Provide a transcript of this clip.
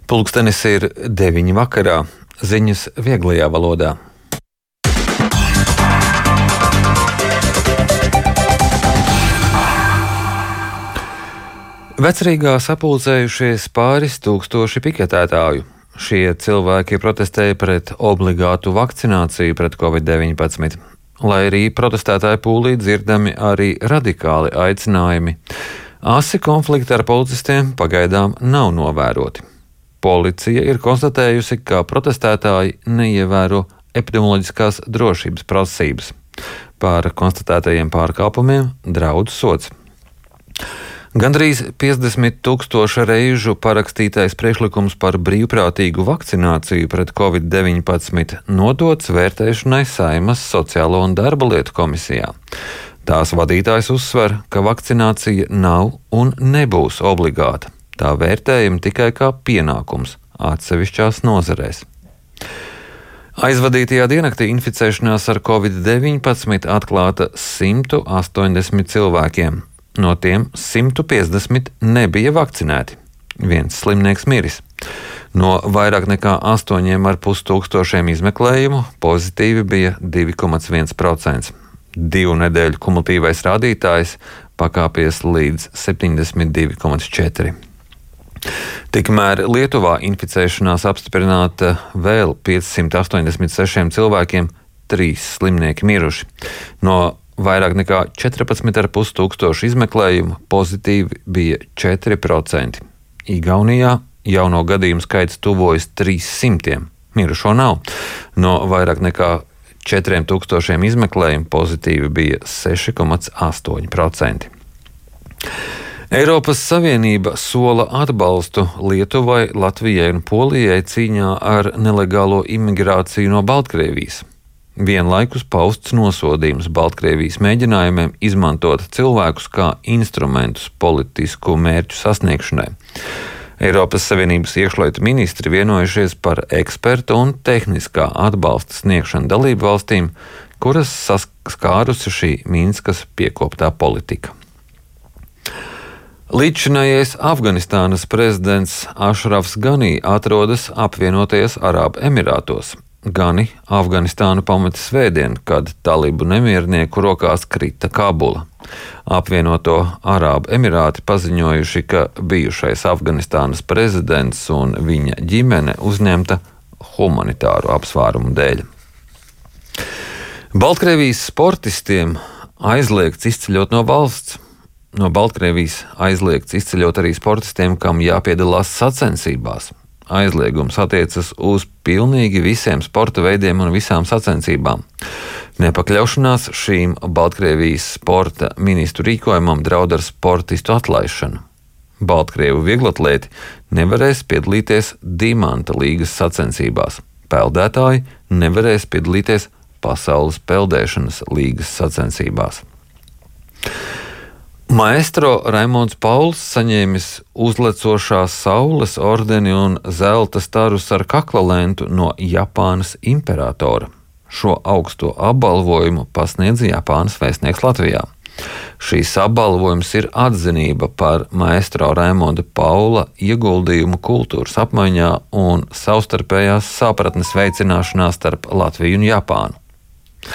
Pulkstenis ir 9 vakarā. Ziņas vieglajā valodā. Vecrīgā sapulcējušies pāris tūkstoši piketētāju. Šie cilvēki protestēja pret obligātu vakcināciju pret Covid-19. Lai arī protestētāju pūlī dzirdami arī radikāli aicinājumi. Asi konflikti ar policistiem pagaidām nav novēroti. Policija ir konstatējusi, ka protestētāji neievēro epidemioloģiskās drošības prasības. Par konstatētajiem pārkāpumiem draud sods. Gandrīz 50,000 reižu parakstītais priekšlikums par brīvprātīgu vakcināciju pret Covid-19 nodots vērtēšanai Saeimas Sociālo un darba lietu komisijā. Tās vadītājs uzsver, ka vakcinācija nav un nebūs obligāta. Tā vērtējama tikai kā pienākums atsevišķās nozarēs. Aizvadītajā diennaktī inficēšanās ar Covid-19 atklāta 180 cilvēkiem. No tiem 150 nebija vakcinēti. Viens slimnieks miris. No vairāk nekā 8,5 tūkstošiem izmeklējumu pozitīvi bija 2,1%. 2 nedēļu kumulatīvais rādītājs pakāpies līdz 72,4%. Tikmēr Lietuvā inficēšanās apstiprināta vēl 586 cilvēkiem, 3 slimnieki miruši. No vairāk nekā 14,5 tūkstošu izmeklējumu pozitīvi bija 4%. Igaunijā jauno gadījumu skaits tuvojas 300, mirušo nav. No vairāk nekā 4,000 izmeklējumu pozitīvi bija 6,8%. Eiropas Savienība sola atbalstu Lietuvai, Latvijai un Polijai cīņā ar nelegālo imigrāciju no Baltkrievijas. Vienlaikus pausts nosodījums Baltkrievijas mēģinājumiem izmantot cilvēkus kā instrumentus politisku mērķu sasniegšanai. Eiropas Savienības iekšlietu ministri vienojušies par ekspertu un tehniskā atbalsta sniegšanu dalību valstīm, kuras saskārusi šī Minskas piekoptā politika. Līdzšinējais Afganistānas prezidents Ašrafs Ganī atrodas apvienotajos Arābu Emirātos. Gani Afganistānu pameta svētdien, kad talibu nemiernieku rokās krita Kabula. Apvienoto Arābu Emirāti paziņojuši, ka bijušais Afganistānas prezidents un viņa ģimene uzņemta humanitāru apsvērumu dēļ. Baltkrievijas sportistiem aizliegts izceļot no valsts. No Baltkrievijas aizliegts izceļot arī sportistiem, kam jāpiedalās sacensībās. Aizliegums attiecas uz pilnīgi visiem sporta veidiem un visām sacensībām. Nepakļaušanās šīm Baltkrievijas sporta ministru rīkojumam draud ar sportistu atlaišanu. Baltkrievu vieglatlēti nevarēs piedalīties Dimanta līgas sacensībās. Peldētāji nevarēs piedalīties Pasaules peldēšanas līgas sacensībās. Maestro Raimonds Pauls saņēmis uzlecošās saules ordeni un zelta starus ar kaklalentu no Japānas imperatora. Šo augsto apbalvojumu pasniedz Japānas vēstnieks Latvijā. Šīs apbalvojums ir atzinība par maestro Raimonda Paula ieguldījumu kultūras apmaiņā un savstarpējās sapratnes veicināšanā starp Latviju un Japānu.